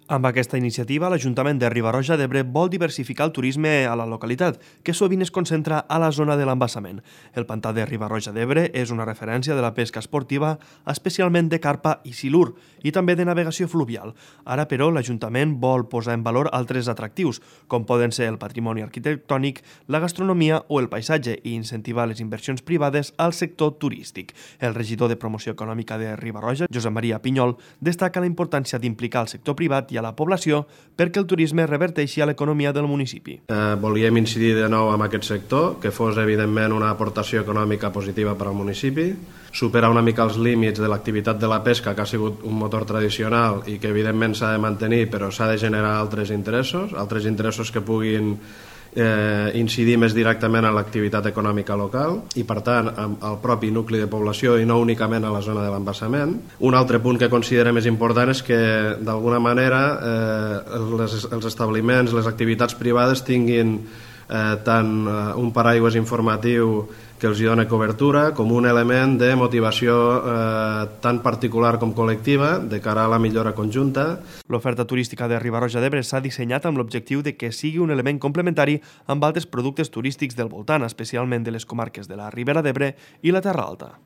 Amb aquesta iniciativa, l'Ajuntament de Riba-roja d'Ebre vol diversificar el turisme a la localitat, que sovint es concentra a la zona de l'embassament. El pantà de Riba-roja d'Ebre és una referència de la pesca esportiva, especialment de carpa i silur, i també de navegació fluvial. Ara, però, l'Ajuntament vol posar en valor altres atractius, com poden ser el patrimoni arquitectònic, la gastronomia o el paisatge, i incentivar les inversions privades al sector turístic. El regidor de Promoció Econòmica de Riba-roja, Josep Maria Pinyol, destaca la importància d'implicar el sector privat i a la població perquè el turisme reverteixi a l'economia del municipi. Volíem incidir de nou en aquest sector, que fos evidentment una aportació econòmica positiva per al municipi, superar una mica els límits de l'activitat de la pesca, que ha sigut un motor tradicional i que evidentment s'ha de mantenir, però s'ha de generar altres interessos que puguin incidir més directament en l'activitat econòmica local i, per tant, al propi nucli de població i no únicament a la zona de l'embassament. Un altre punt que considerem més important és que, d'alguna manera, els establiments, les activitats privades tinguin tant un paraigües informatiu que els dona cobertura com un element de motivació tant particular com col·lectiva de cara a la millora conjunta. L'oferta turística de Riba-roja d'Ebre s'ha dissenyat amb l'objectiu de que sigui un element complementari amb altres productes turístics del voltant, especialment de les comarques de la Ribera d'Ebre i la Terra Alta.